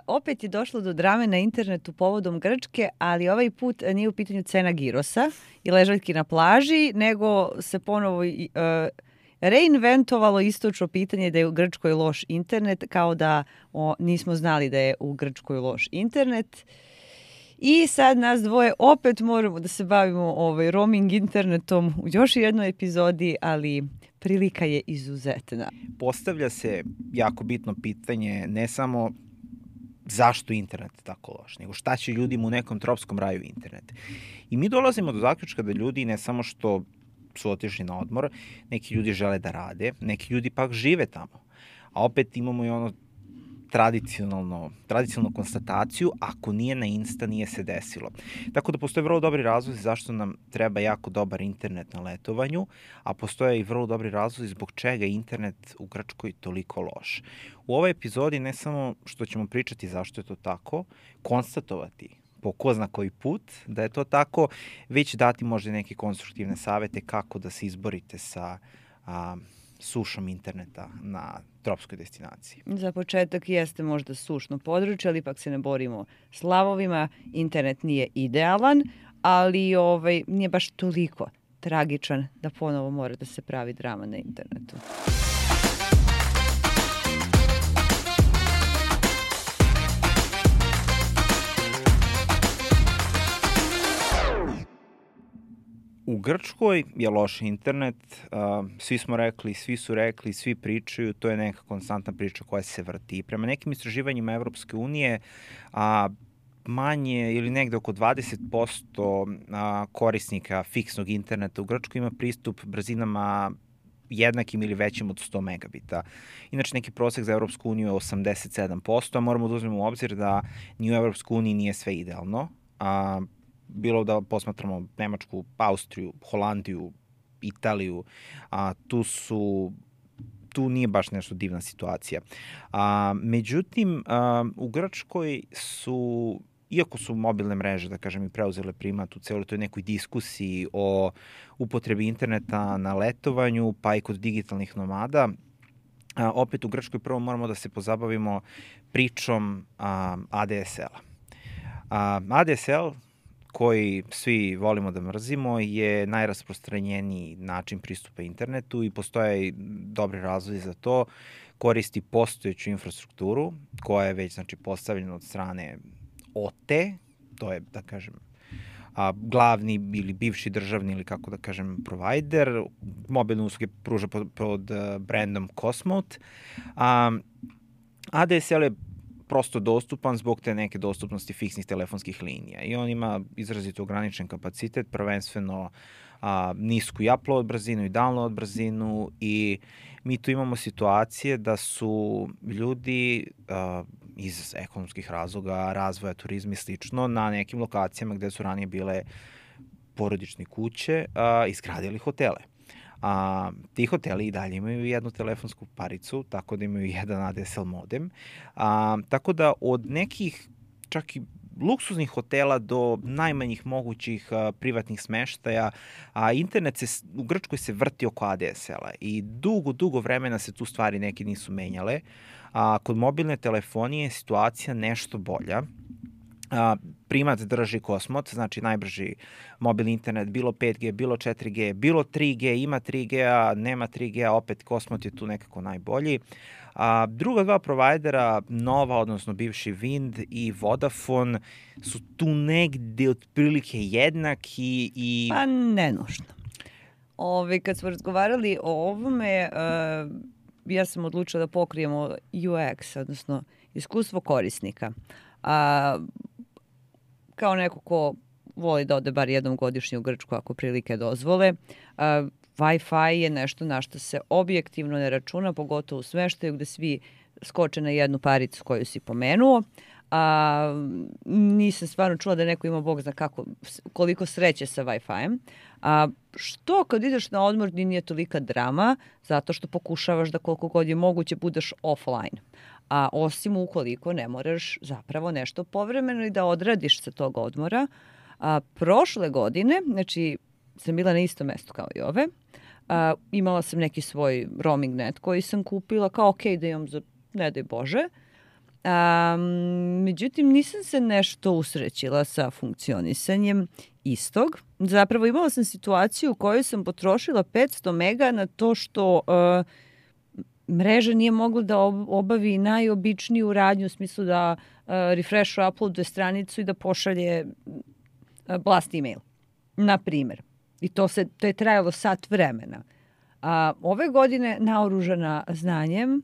Opet je došlo do drame na internetu povodom Grčke, ali ovaj put nije u pitanju cena girosa i ležaljki na plaži, nego se ponovo reinventovalo istočno pitanje da je u Grčkoj loš internet, kao da nismo znali da je u Grčkoj loš internet. I sad nas dvoje opet moramo da se bavimo roaming internetom u još jednoj epizodi, ali prilika je izuzetna. Postavlja se jako bitno pitanje ne samo zašto internet je tako loš, nego šta će ljudima u nekom tropskom raju internet. I mi dolazimo do zaključka da ljudi ne samo što su otišli na odmor, neki ljudi žele da rade, neki ljudi pak žive tamo. A opet imamo i ono tradicionalnu konstataciju, ako nije na Insta, nije se desilo. Tako da postoje vrlo dobri razlozi zašto nam treba jako dobar internet na letovanju, a postoje i vrlo dobri razlozi zbog čega je internet u Grčkoj toliko loš. U ovoj epizodi ne samo što ćemo pričati zašto je to tako, konstatovati po ko zna koji put da je to tako, već dati možda neke konstruktivne savete kako da se izborite sa sušom interneta na tropskoj destinaciji. Za početak jeste možda sušno područje, ali ipak se ne borimo s lavovima. Internet nije idealan, ali nije baš toliko tragičan da ponovo mora da se pravi drama na internetu. U Grčkoj je loš internet, svi smo rekli, svi su rekli, svi pričaju, to je neka konstantna priča koja se vrti. Prema nekim istraživanjima Evropske unije, manje ili negde oko 20% korisnika fiksnog interneta u Grčkoj ima pristup brzinama jednakim ili većim od 100 megabita. Inače, neki prosek za Evropsku uniju je 87%, a moramo da uzmemo u obzir da ni u Evropskoj uniji nije sve idealno. Bilo da posmatramo Nemačku, Austriju, Holandiju, Italiju, tu nije baš nešto divna situacija. Međutim, u Grčkoj su, iako su mobilne mreže, da kažem, i preuzele primat u celoj toj nekoj diskusiji o upotrebi interneta na letovanju, pa i kod digitalnih nomada, opet u Grčkoj prvo moramo da se pozabavimo pričom ADSL-a. ADSL, koji svi volimo da mrzimo, je najrasprostranjeniji način pristupa internetu i postoje dobri razlozi za to. Koristi postojeću infrastrukturu koja je već postavljena od strane OTE, to je, da kažem, glavni ili bivši državni ili kako da kažem provider, mobilne usluge pruža pod brandom Cosmote. ADSL je prosto dostupan zbog te neke dostupnosti fiksnih telefonskih linija i on ima izrazito ograničen kapacitet, prvenstveno nisku i upload brzinu i download brzinu i mi tu imamo situacije da su ljudi iz ekonomskih razloga, razvoja turizma i slično na nekim lokacijama gde su ranije bile porodične kuće izgradili hotele. Ti hoteli i dalje imaju jednu telefonsku paricu, tako da imaju jedan ADSL modem. Tako da od nekih čak i luksuznih hotela do najmanjih mogućih privatnih smeštaja, internet u Grčkoj se vrti oko ADSL-a i dugo vremena se tu stvari neke nisu menjale. Kod mobilne telefonije je situacija nešto bolja. Primat drži Cosmot, znači najbrži mobilni internet, bilo 5G, bilo 4G, bilo 3G, ima 3G-a, nema 3G-a, opet Cosmot je tu nekako najbolji. Druga dva provajdera, Nova, odnosno bivši Wind i Vodafone, su tu negde otprilike jednaki i... Pa ne nužno. Kad smo razgovarali o ovome, ja sam odlučila da pokrijemo UX, odnosno iskustvo korisnika. Kao neko ko voli da ode bar jednom godišnje u Grčku ako prilike dozvole, Wi-Fi je nešto na što se objektivno ne računa, pogotovo u smeštaju gde svi skoče na jednu paricu koju si pomenuo. Nisam stvarno čula da neko ima bog zna koliko sreće sa Wi-Fi-em. Što kad ideš na odmor nije tolika drama, zato što pokušavaš da koliko god je moguće budeš offline. Osim ukoliko ne moraš zapravo nešto povremeno i da odradiš sa tog odmora. Prošle godine, znači sam bila na istom mestu kao i ove, imala sam neki svoj roaming net koji sam kupila kao da imam za ne daj Bože. Međutim, nisam se nešto usrećila sa funkcionisanjem istog. Zapravo imala sam situaciju u kojoj sam potrošila 500 mega na to što mreža nije mogla da obavi najobičniju radnju u smislu da refresh uploaduje stranicu i da pošalje blast email, na primjer. I to je trajalo sat vremena. Ove godine, naoružana znanjem,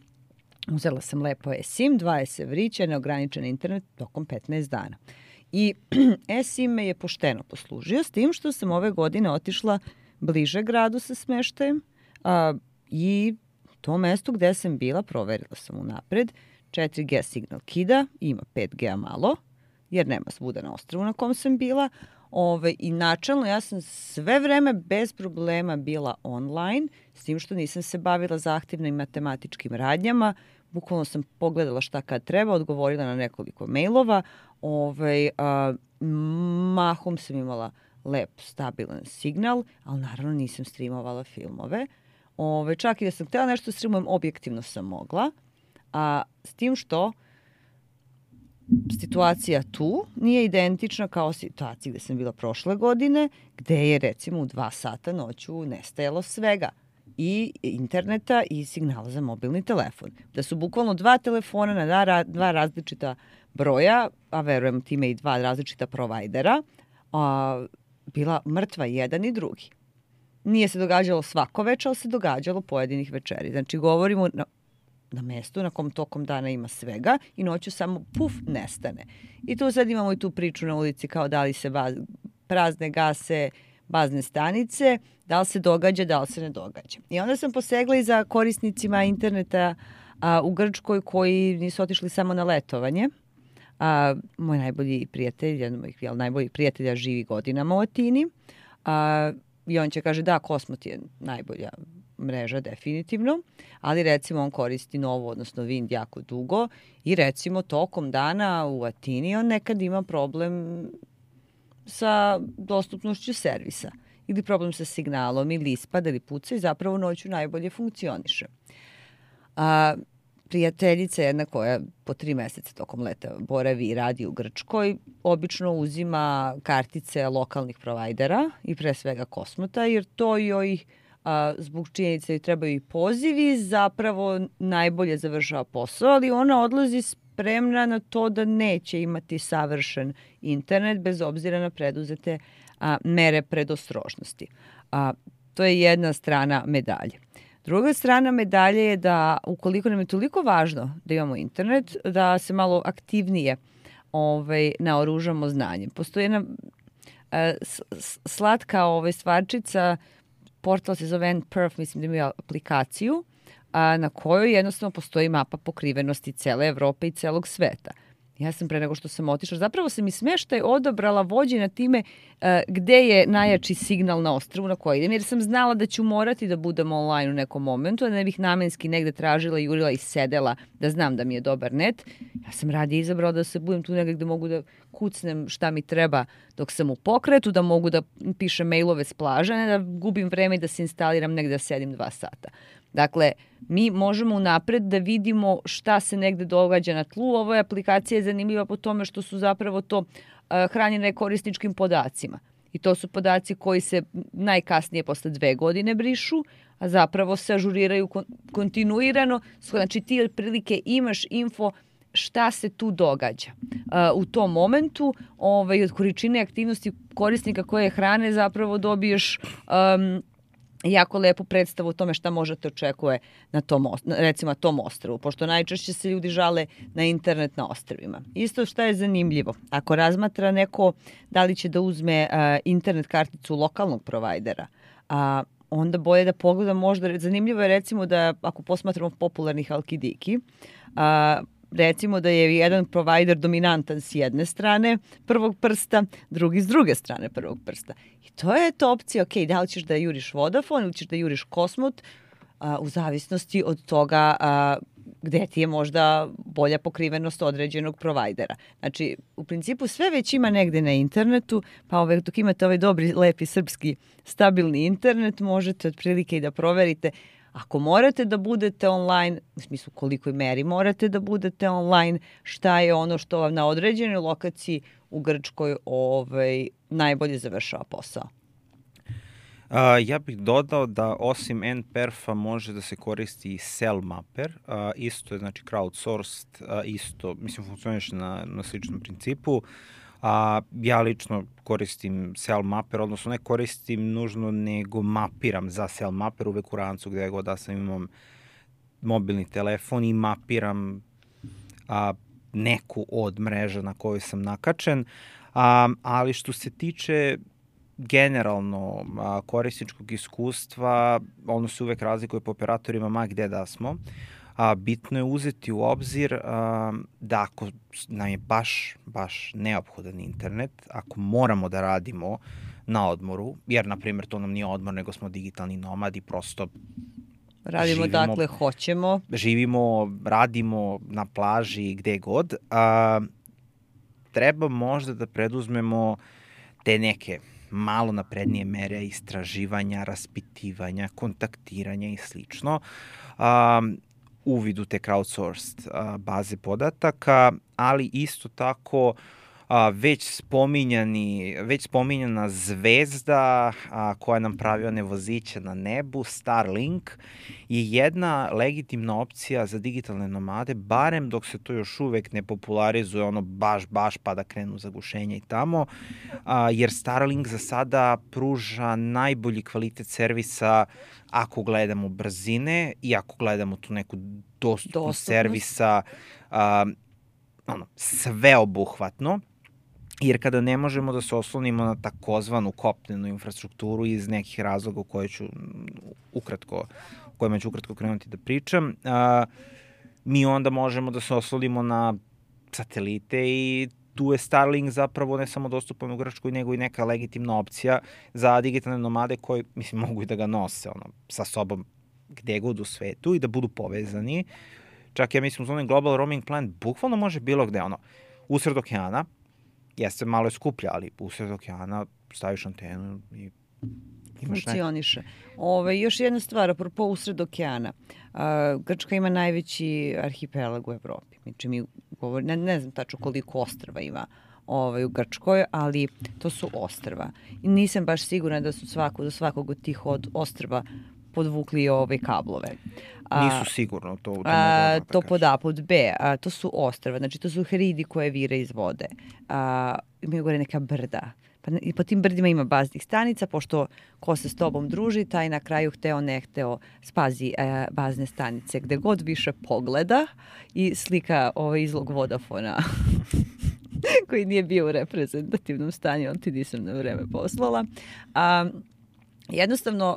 uzela sam lepo eSIM, 20 evrića, neograničen internet tokom 15 dana. I eSIM me je pošteno poslužio, s tim što sam ove godine otišla bliže gradu sa smeštajem i to mesto gde sam bila, proverila sam unapred, 4G signal kida, ima 5G malo, jer nema svuda na ostrvu na kom sam bila. I načalno ja sam sve vreme bez problema bila online, s tim što nisam se bavila zahtevnim matematičkim radnjama. Bukvalno sam pogledala šta kad treba, odgovorila na nekoliko mailova. Mahom sam imala lep, stabilan signal, ali naravno nisam streamovala filmove. Čak i da sam htjela nešto streamujem, objektivno sam mogla. S tim što situacija tu nije identična kao situacija gde sam bila prošle godine, gde je recimo u 2 sata noću nestajalo svega. I interneta i signala za mobilni telefon. Da su bukvalno 2 telefona na 2 različita broja, a verujem time i 2 različita provajdera, bila mrtva jedan i drugi. Nije se događalo svako večer, ali se događalo pojedinih večeri. Znači, govorimo na mestu na kom tokom dana ima svega i noću samo puf, nestane. I tu sad imamo i tu priču na ulici kao da li se prazne gase bazne stanice, da li se događa, da li se ne događa. I onda sam posegla i za korisnicima interneta u Grčkoj koji nisu otišli samo na letovanje. Moj najbolji prijatelj, jedan od mojih najboljih prijatelja živi godinama u Atini i on će kaže da, Kosmot je najbolja mreža definitivno, ali recimo on koristi Novu, odnosno Vind jako dugo i recimo tokom dana u Atini on nekad ima problem sa dostupnošću servisa ili problem sa signalom ili ispada ili puca i zapravo noću najbolje funkcioniše. Prijateljica jedna koja po 3 meseca tokom leta boravi i radi u Grčkoj, obično uzima kartice lokalnih provajdera i pre svega Kosmota, jer to joj zbog činjenice joj trebaju i pozivi, zapravo najbolje završava posao, ali ona odlazi spremna na to da neće imati savršen internet bez obzira na preduzete mere predostrožnosti. To je jedna strana medalje. Druga strana medalje je da ukoliko nam je toliko važno da imamo internet, da se malo aktivnije naoružamo znanjem. Postoji jedna slatka stvarčica, portal se zove NPerf, mislim da ima aplikaciju, na kojoj jednostavno postoji mapa pokrivenosti cele Evrope i celog sveta. Ja sam pre nego što sam otišla, zapravo sam i smeštaj odabrala vođena time gde je najjači signal na ostrvu na koji idem, jer sam znala da ću morati da budem online u nekom momentu, a ne bih namenski negde tražila, jurila i sedela da znam da mi je dobar net. Ja sam radije izabrala da se budem tu negde gde mogu da kucnem šta mi treba dok sam u pokretu, da mogu da pišem mailove s plaže, ne da gubim vreme i da se instaliram negde da sedim 2 sata. Dakle, mi možemo unapred da vidimo šta se negde događa na tlu. Ova aplikacija je zanimljiva po tome što su zapravo to hranjene korisničkim podacima. I to su podaci koji se najkasnije posle 2 godine brišu, a zapravo se ažuriraju kontinuirano. Znači ti otprilike imaš info šta se tu događa. U tom momentu od količine aktivnosti korisnika koje hrane zapravo dobiješ jako lepu predstavu o tome šta možete očekuje na tom, recimo tom ostrvu, pošto najčešće se ljudi žale na internet na ostrvima. Isto šta je zanimljivo, ako razmatra neko da li će da uzme internet karticu lokalnog provajdera, onda bolje da pogleda možda, zanimljivo je recimo da ako posmatramo popularnih Halkidiki, recimo da je jedan provajder dominantan s jedne strane prvog prsta, drugi s druge strane prvog prsta. I to je to opcija, ok, da li ćeš da juriš Vodafone ili ćeš da juriš Kosmot, u zavisnosti od toga gde ti je možda bolja pokrivenost određenog provajdera. Znači, u principu sve već ima negde na internetu, pa dok imate ovaj dobri, lepi, srpski, stabilni internet, možete otprilike i da proverite, Ako morate da budete online, u smislu kolikoj meri morate da budete online, šta je ono što vam na određenoj lokaciji u Grčkoj najbolje završava posao? Ja bih dodao da osim NPerf-a može da se koristi i CellMapper, isto je znači crowdsourced, isto, mislim, funkcioniše na sličnom principu. Ja lično koristim CellMapper, odnosno ne koristim nužno, nego mapiram za CellMapper uvek u rancu gde god da sam imam mobilni telefon i mapiram neku od mreža na kojoj sam nakačen, ali što se tiče generalno korisničkog iskustva, ono se uvek razlikuje po operatorima ma gde da smo. Bitno je uzeti u obzir da ako nam je baš neophodan internet, ako moramo da radimo na odmoru, jer na primjer to nam nije odmor, nego smo digitalni nomadi, prosto radimo dakle hoćemo. Živimo, radimo na plaži, gde god. Treba možda da preduzmemo te neke malo naprednije mere istraživanja, raspitivanja, kontaktiranja i slično. Uvid u te crowdsourced baze podataka, ali isto tako već spominjana zvezda koja nam pravi one voziće na nebu, Starlink, je jedna legitimna opcija za digitalne nomade, barem dok se to još uvek ne popularizuje ono baš pa da krenu zagušenja i tamo, jer Starlink za sada pruža najbolji kvalitet servisa ako gledamo brzine i ako gledamo tu neku dostupnost servisa sveobuhvatno. Jer kada ne možemo da se oslonimo na takozvanu kopnenu infrastrukturu iz nekih razloga o kojima ću ukratko krenuti da pričam, mi onda možemo da se oslonimo na satelite i tu je Starlink zapravo ne samo dostupan u Grčkoj, nego i neka legitimna opcija za digitalne nomade koji, mislim, mogu i da ga nose sa sobom gde god u svetu i da budu povezani. Čak ja mislim, uz onaj global roaming plan bukvalno može bilo gde, usred okeana, jeste malo je skuplja, ali usred okeana staviš antenu i imaš funkcioniše. Još jedna stvar, apropo usred okeana. Grčka ima najveći arhipelag u Evropi. Znači, mi govorimo, ne znam tačno koliko ostrva ima u Grčkoj, ali to su ostrva. I nisam baš sigurna da su do svakog od tih ostrva podvukli kablove. Nisu sigurno to. To pod A, pod B. To su ostrva, znači to su hridi koje vire iz vode. Imaju gore neka brda. I po tim brdima ima baznih stanica, pošto ko se s tobom druži, taj na kraju hteo ne hteo spazi bazne stanice. Gde god više pogleda i slika izlog Vodafona koji nije bio u reprezentativnom stanju, on ti nisam na vreme poslala. Jednostavno,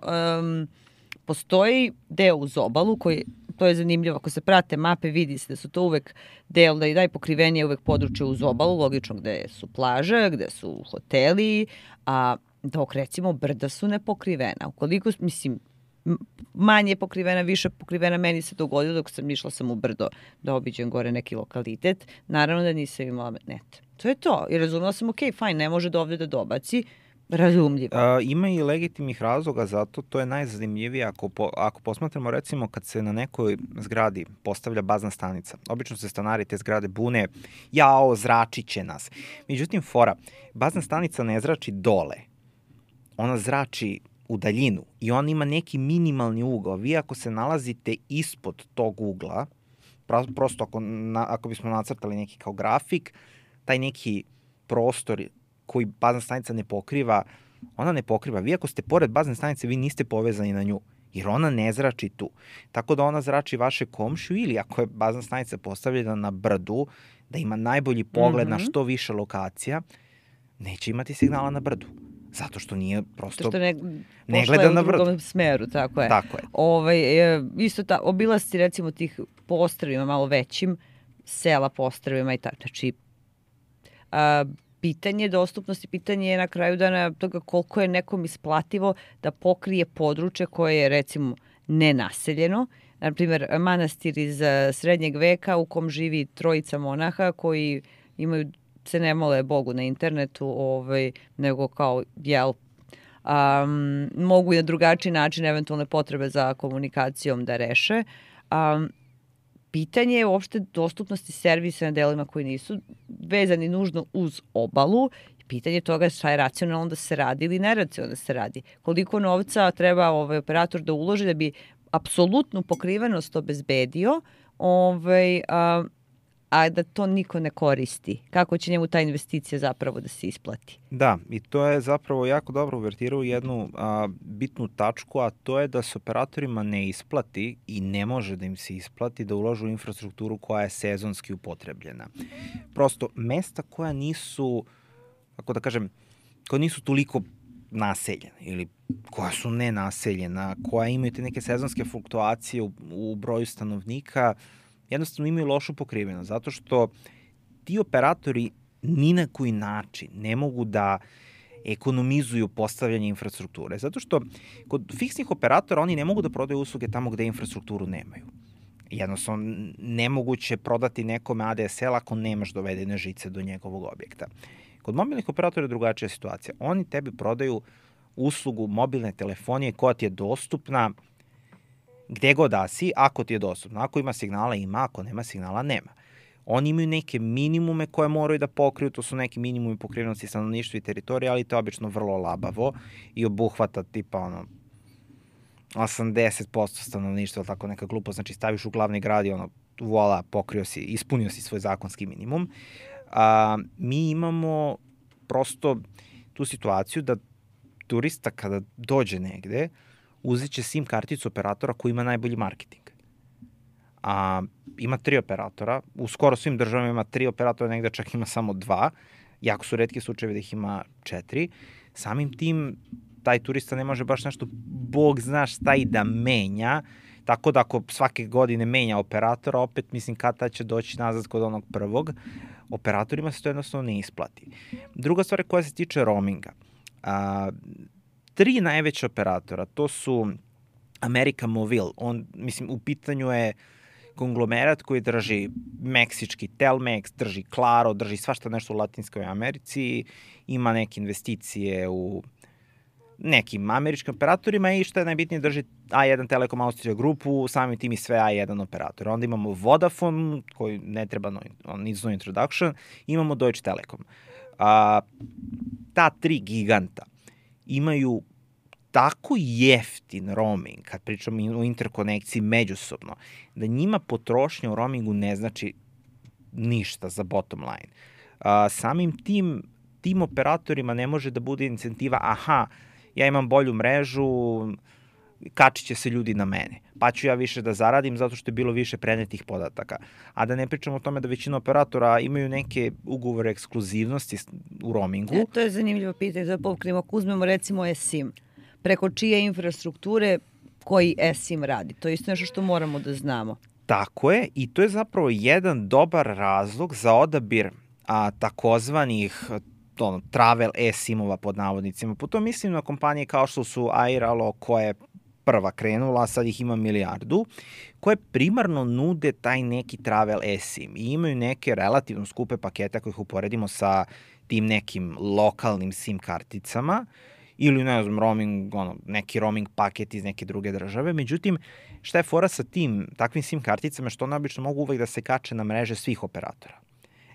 postoji deo uz obalu koji, to je zanimljivo, ako se prate mape vidi se da su to uvek deo, da i najpokrivenije uvek područje uz obalu, logično gde su plaže, gde su hoteli, dok recimo brda su nepokrivena. Ukoliko, mislim, manje pokrivena, više pokrivena, meni se dogodilo dok sam išla u brdo da obiđem gore neki lokalitet, naravno da nisam imala net. To je to. I razumela sam, fajn, ne može do ovde da dobaci, razumljivo. Ima i legitimnih razloga za to, to je najzanimljivije ako posmatramo recimo kad se na nekoj zgradi postavlja bazna stanica. Obično se stanari te zgrade bune, zračit će nas. Međutim, bazna stanica ne zrači dole, ona zrači u daljinu i on ima neki minimalni ugao. Vi ako se nalazite ispod tog ugla, prosto ako bismo nacrtali neki kao grafik, taj neki prostor koji bazna stanica ne pokriva, ona ne pokriva. Vi ako ste pored bazne stanice, vi niste povezani na nju, jer ona ne zrači tu. Tako da ona zrači vaše komšiju ili ako je bazna stanica postavljena na brdu, da ima najbolji pogled na što više lokacija, neće imati signala na brdu. Zato što nije prosto... Zato što ne gleda na brdu. U drugom smeru, tako je. Tako je. Isto obilasci recimo tih po ostrvima malo većim, sela po ostrvima i tako. Znači, pitanje dostupnosti, pitanje je na kraju dana toga koliko je nekom isplativo da pokrije područje koje je recimo nenaseljeno. Naprimjer, manastir iz srednjeg veka u kom živi trojica monaha koji se ne mole Bogu na internetu, nego kao mogu i na drugačiji način eventualne potrebe za komunikacijom da reše. Pitanje je uopšte dostupnosti servisa na delima koji nisu vezani nužno uz obalu. Pitanje toga je šta je racionalno da se radi ili neracionalno da se radi. Koliko novca treba operator da uloži da bi apsolutnu pokrivenost obezbedio, a da to niko ne koristi. Kako će njemu ta investicija zapravo da se isplati? Da, i to je zapravo jako dobro uvertirao u jednu bitnu tačku, a to je da se operatorima ne isplati i ne može da im se isplati da uložu u infrastrukturu koja je sezonski upotrebljena. Prosto, mesta koja nisu, kako da kažem, koja nisu toliko naseljena ili koja su nenaseljena, koja imaju te neke sezonske fluktuacije u broju stanovnika, jednostavno imaju lošu pokrivenost, zato što ti operatori ni na koji način ne mogu da ekonomizuju postavljanje infrastrukture. Zato što kod fiksnih operatora oni ne mogu da prodaju usluge tamo gde infrastrukturu nemaju. Jednostavno, nemoguće prodati nekome ADSL ako nemaš dovedene žice do njegovog objekta. Kod mobilnih operatora je drugačija situacija. Oni tebi prodaju uslugu mobilne telefonije koja ti je dostupna gde god da si, ako ti je dostupno. Ako ima signala, ima, ako nema signala, nema. Oni imaju neke minimume koje moraju da pokriju, to su neki minimumi pokrivenosti stanovništva i teritorije, ali to je obično vrlo labavo i obuhvata tipa 80% stanovništva, tako neka glupo, znači staviš u glavni grad i voila, pokrio si, ispunio si svoj zakonski minimum. Mi imamo prosto tu situaciju da turista kada dođe negde, uzet će SIM karticu operatora koji ima najbolji marketing. Ima 3 operatora, u skoro svim državama ima 3 operatora, negde čak ima samo 2, jako su retki slučajevi da ih ima 4. Samim tim, taj turista ne može baš nešto, bog zna šta i da menja, tako da ako svake godine menja operatora, opet mislim kada će doći nazad kod onog prvog, operatorima se to jednostavno ne isplati. Druga stvar koja se tiče roaminga. 3 najveća operatora, to su America Movil, u pitanju je konglomerat koji drži meksički Telmex, drži Claro, drži svašta nešto u Latinskoj Americi, ima neke investicije u nekim američkim operatorima i što je najbitnije drži A1 Telekom Austrija grupu, samim tim i sve A1 operator. Onda imamo Vodafone, koji ne treba needs no introduction, imamo Deutsche Telekom. Ta 3 giganta imaju tako jeftin roaming, kad pričamo o interkonekciji međusobno, da njima potrošnja u roamingu ne znači ništa za bottom line. Samim tim operatorima ne može da bude incentiva, ja imam bolju mrežu, kačit će se ljudi na mene, pa ću ja više da zaradim zato što je bilo više prenetih podataka. A da ne pričamo o tome da većina operatora imaju neke ugovore ekskluzivnosti u roamingu. To je zanimljivo pitanje, da pokrimo, ako uzmemo recimo eSIM, preko čije infrastrukture koji eSIM radi. To je isto nešto što moramo da znamo. Tako je, i to je zapravo jedan dobar razlog za odabir takozvanih travel eSIM-ova pod navodnicima. Po to mislim na kompanije kao što su Airalo, koja je prva krenula, a sad ih ima 1 milijardu, koje primarno nude taj neki travel eSIM i imaju neke relativno skupe pakete ako ih uporedimo sa tim nekim lokalnim SIM karticama ili ne znam, neki roaming paket iz neke druge države. Međutim, šta je fora sa takvim SIM karticama, što one obično mogu uvek da se kače na mreže svih operatora.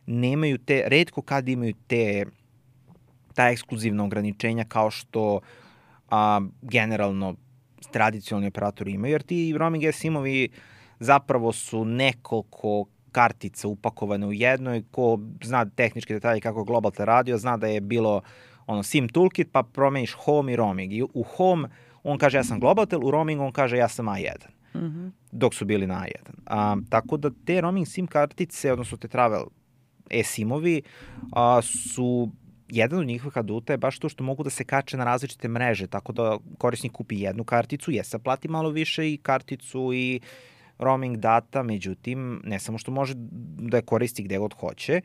Nemaju retko kad imaju ta ekskluzivna ograničenja kao što generalno tradicionalni operatori imaju, jer ti roaming eSIM-ovi zapravo su nekoliko kartica upakovane u jednoj, ko zna tehničke detalje kako Globaltel radio, zna da je bilo SIM toolkit, pa promeniš home i roaming. I u home on kaže ja sam Globaltel, u roaming on kaže ja sam A1. Dok su bili na A1. Tako da te roaming SIM kartice, odnosno te travel eSIM-ovi su jedan od njihovih aduta je baš to što mogu da se kače na različite mreže, tako da korisnik kupi jednu karticu, plati malo više i karticu i roaming data, međutim, ne samo što može da je koristi gde god hoće,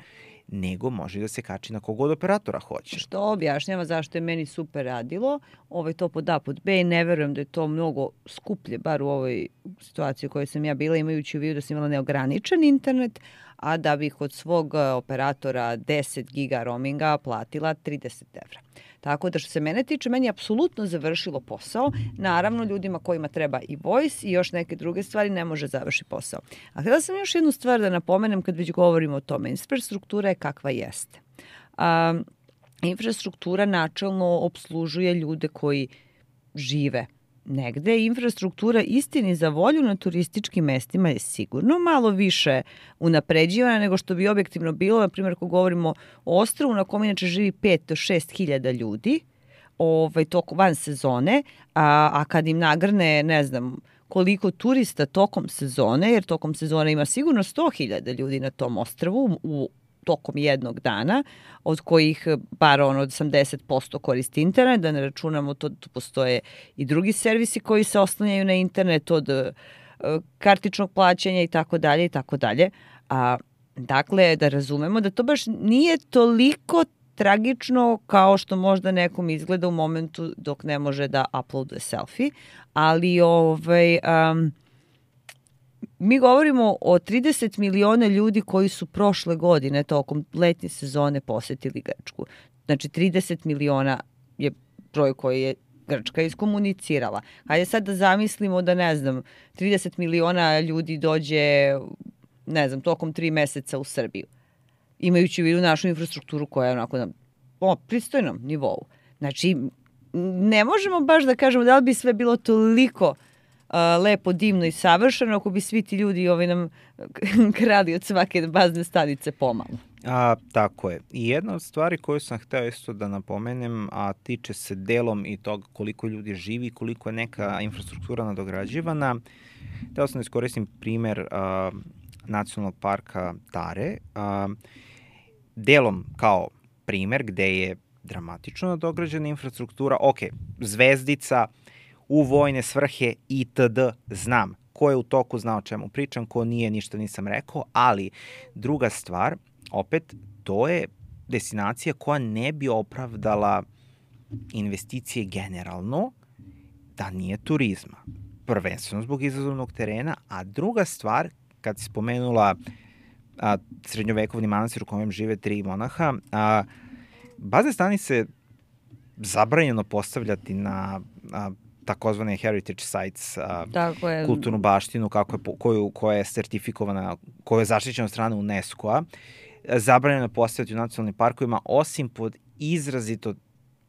nego može da se kači na kogod operatora hoće. Što objašnjava zašto je meni super radilo, to pod A, pod B, i ne verujem da je to mnogo skuplje, bar u ovoj situaciji u kojoj sam ja bila, imajući u vidu da sam imala neograničen internet, a da bih od svog operatora 10 giga roaminga platila 30 evra. Tako da što se mene tiče, meni je apsolutno završilo posao. Naravno, ljudima kojima treba i voice i još neke druge stvari ne može završi posao. A htjela sam još jednu stvar da napomenem kad već govorimo o tome. Infrastruktura je kakva jeste. Infrastruktura načelno obslužuje ljude koji žive negde. Infrastruktura istini za volju na turističkim mestima je sigurno malo više unapređivana nego što bi objektivno bilo. Na primjer, ako govorimo o ostrvu na kom inače živi 5 do 6 hiljada ljudi tokom van sezone, a kad im nagrne, ne znam, koliko turista tokom sezone, jer tokom sezone ima sigurno 100.000 ljudi na tom ostrvu tokom jednog dana, od kojih bar od 80% koristi internet, da ne računamo to, tu postoje i drugi servisi koji se oslanjaju na internet, od kartičnog plaćanja i tako dalje i tako dalje. Dakle, da razumemo da to baš nije toliko tragično kao što možda nekom izgleda u momentu dok ne može da uploaduje selfie, ali mi govorimo o 30 miliona ljudi koji su prošle godine tokom letnje sezone posetili Grčku. Znači 30 miliona je broj koji je Grčka iskomunicirala. Hajde sad da zamislimo da, ne znam, 30 miliona ljudi dođe, ne znam, tokom 3 meseca u Srbiju, imajući u vidu našu infrastrukturu koja je onako na pristojnom nivou. Znači, ne možemo baš da kažemo da li bi sve bilo toliko lepo, divno i savršeno ako bi svi ti ljudi nam krali od svake bazne stanice pomalo. Tako je. I jedna od stvari koju sam hteo isto da napomenem, a tiče se delom i toga koliko ljudi živi, koliko je neka infrastruktura nadograđivana. Hteo sam da iskoristim primer nacionalnog parka Tare. Delom kao primer gde je dramatično nadograđena infrastruktura. Ok, zvezdica, u vojne svrhe itd. Znam. Ko je u toku zna o čemu pričam, ko nije, ništa nisam rekao, ali druga stvar, opet, to je destinacija koja ne bi opravdala investicije generalno da nije turizma. Prvenstveno zbog izazovnog terena, a druga stvar, kad si spomenula srednjovekovni manastir u kojem žive 3 monaha, bazne stanice zabranjeno postavljati na takozvane heritage sites, kulturnu baštinu koja je sertifikovana, koja je zaštićena od strane UNESCO-a, zabranjeno postavljati u nacionalnim parkovima, osim pod izrazito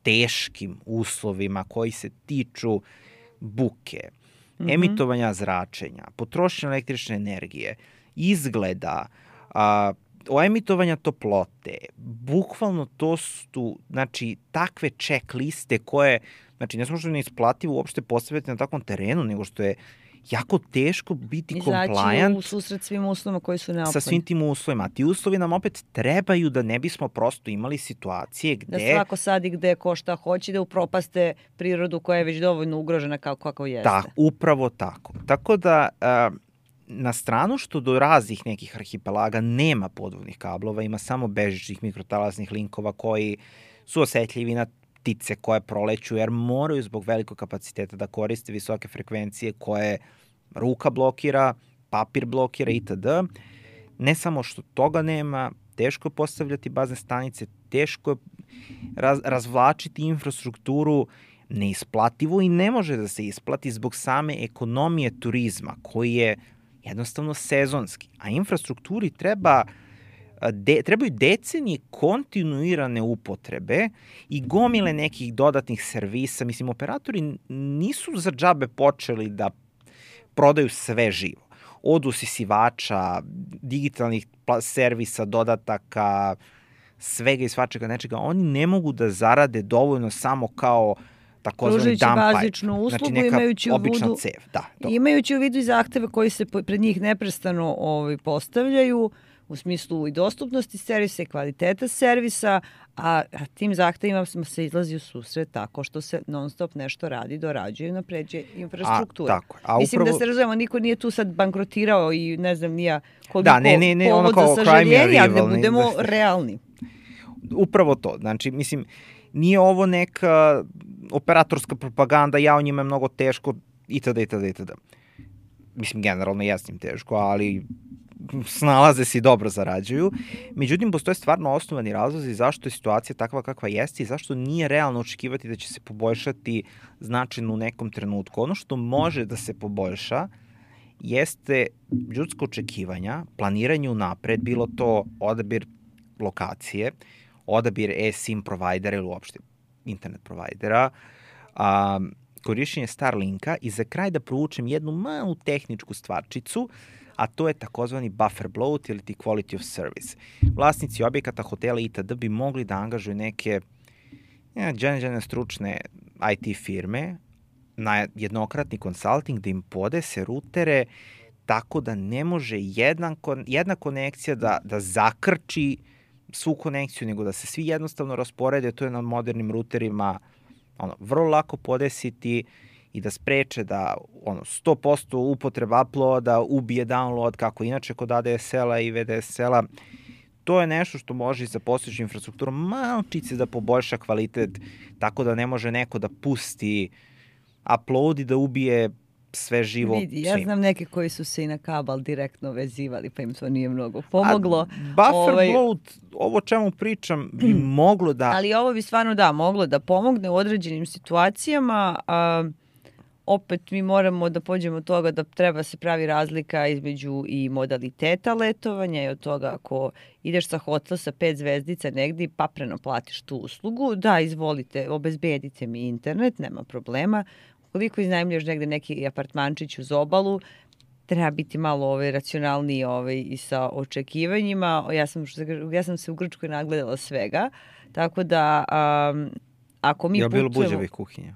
teškim uslovima koji se tiču buke, emitovanja zračenja, potrošnje električne energije, izgleda, emitovanja toplote. Bukvalno to su, znači, takve checkliste koje, znači, ne samo što je neisplativo uopšte postavljati na takvom terenu, nego što je jako teško biti compliant. Izaći u susret svim uslovima koji su neophodni. Sa svim tim uslovima. Ti uslovi nam opet trebaju da ne bismo prosto imali situacije gde... Da svako sadi gde ko šta hoće, da upropaste prirodu koja je već dovoljno ugrožena kako jeste. Da, upravo tako. Tako da... Na stranu što do raznih nekih arhipelaga nema podvodnih kablova, ima samo bežičnih mikrotalasnih linkova koji su osetljivi na ptice koje proleću, jer moraju zbog velikog kapaciteta da koriste visoke frekvencije koje ruka blokira, papir blokira itd. Ne samo što toga nema, teško je postavljati bazne stanice, teško je razvlačiti infrastrukturu, neisplativo i ne može da se isplati zbog same ekonomije turizma koji je jednostavno sezonski, a infrastrukturi trebaju decenije kontinuirane upotrebe i gomile nekih dodatnih servisa. Mislim, operatori nisu za džabe počeli da prodaju sve živo. Od usisivača, digitalnih servisa, dodataka, svega i svačega nečega. Oni ne mogu da zarade dovoljno samo kao takozvani dump pipe. Bazičnu uslugu, znači neka obična cev. Da, imajući u vidu i zahteve koji se pred njih neprestano postavljaju u smislu i dostupnosti servisa i kvaliteta servisa, a tim zahtevima smo se izlazi u susret tako što se non stop nešto radi, dorađuje i napređuje infrastruktura. Mislim da se razumemo, niko nije tu sad bankrotirao i ne znam nija koliko povod za sažaljenje, ali da budemo realni. Upravo to. Znači, mislim, nije ovo neka operatorska propaganda, o njima je mnogo teško, itd. Mislim, generalno jesnim teško, ali snalaze se i dobro zarađuju. Međutim, postoje stvarno osnovani razlozi zašto je situacija takva kakva jeste i zašto nije realno očekivati da će se poboljšati značajno u nekom trenutku. Ono što može da se poboljša jeste ljudsko očekivanja, planiranje unapred, bilo to odabir lokacije, odabir eSIM provajdera ili uopšte internet provajdera, korišćenje Starlinka i za kraj da proučem jednu malu tehničku stvarčicu, a to je takozvani buffer bloat ili ti quality of service. Vlasnici objekata, hotela itd. Bi mogli da angažuju neke džene stručne IT firme na jednokratni konsulting da im podese rutere tako da ne može jedna konekcija da zakrči svu konekciju, nego da se svi jednostavno rasporede. To je na modernim ruterima vrlo lako podesiti i da spreče da 100% upotreba uploada ubije download, kako inače kod ADSL-a i VDSL-a. To je nešto što može i sa postojećom infrastrukturom malčice da poboljša kvalitet, tako da ne može neko da pusti upload i da ubije sve živo. Vidi, ja znam neke koji su se i na kabel direktno vezivali, pa im to nije mnogo pomoglo. Buffer bloat, ovo čemu pričam, bi moglo da... Ali ovo bi stvarno moglo da pomogne u određenim situacijama. Opet mi moramo da pođemo od toga da treba se pravi razlika između i modaliteta letovanja i od toga ako ideš sa hotel sa 5 zvezdica negdje i papreno platiš tu uslugu, da, izvolite, obezbedite mi internet, nema problema. Koliko iznajmljuješ negde neki apartmančić uz obalu, treba biti malo racionalniji i sa očekivanjima. Ja sam se u Grčkoj nagledala svega, tako da ako mi putujemo... Je li bilo buđavih kuhinja?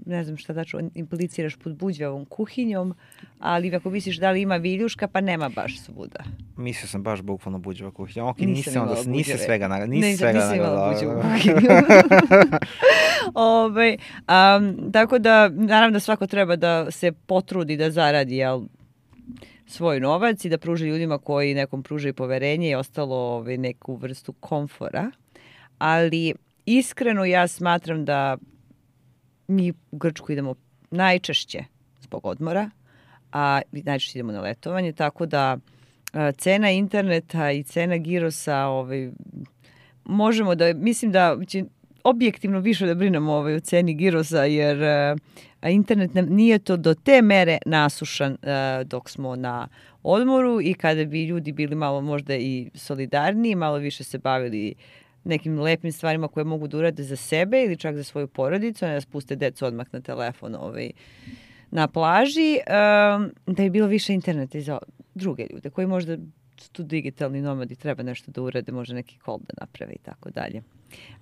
Ne znam šta tačno impliciraš pod buđavom kuhinjom, ali ako misliš da li ima viljuška, pa nema baš svuda. Mislio sam baš bukvalno buđava kuhinja. Ok, nisam svega nisam imala buđavu kuhinju. Tako da, naravno da svako treba da se potrudi da zaradi svoj novac i da pruži ljudima koji nekom pružaju poverenje i ostalo neku vrstu komfora. Ali iskreno ja smatram da mi u Grčku idemo najčešće zbog odmora, a najčešće idemo na letovanje, tako da cena interneta i cena girosa, možemo da, mislim da će objektivno više da brinemo o ceni girosa, jer internet nije to do te mere nasušan dok smo na odmoru i kada bi ljudi bili malo možda i solidarniji, malo više se bavili nekim lepim stvarima koje mogu da urade za sebe ili čak za svoju porodicu, ne da spuste decu odmah na telefon na plaži, da je bilo više interneta i za druge ljude koji možda su tu digitalni nomadi, treba nešto da urade, može neki call da naprave i tako dalje.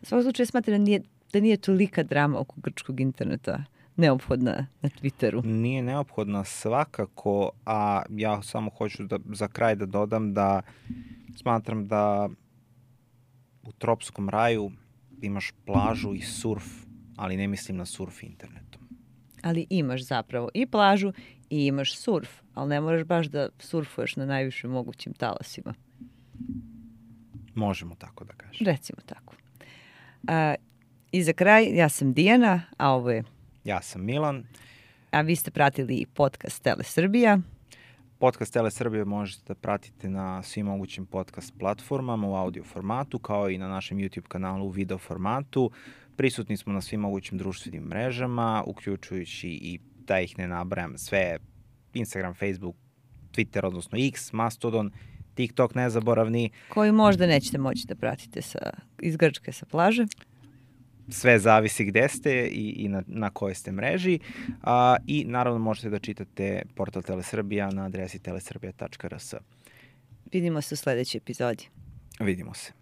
U svakom slučaju smatram da nije tolika drama oko grčkog interneta neophodna na Twitteru. Nije neophodna svakako, a ja samo hoću za kraj da dodam da smatram da u tropskom raju imaš plažu i surf, ali ne mislim na surf internetom. Ali imaš zapravo i plažu i imaš surf, ali ne moraš baš da surfuješ na najvišim mogućim talasima. Možemo tako da kažem. Recimo tako. I za kraj, ja sam Dijana, a ovo je... Ja sam Milan. A vi ste pratili podcast Tele Srbija. Podcast Tele Srbije možete da pratite na svim mogućim podcast platformama u audio formatu, kao i na našem YouTube kanalu u video formatu. Prisutni smo na svim mogućim društvenim mrežama, uključujući i da ih ne nabrajam sve, Instagram, Facebook, Twitter, odnosno X, Mastodon, TikTok nezaboravni. Koji možda nećete moći da pratite iz Grčke sa plaže. Sve zavisi gde ste i na kojoj ste mreži. I naravno možete da čitate portal Telesrbija na adresi telesrbija.rs. Vidimo se u sledećoj epizodi. Vidimo se.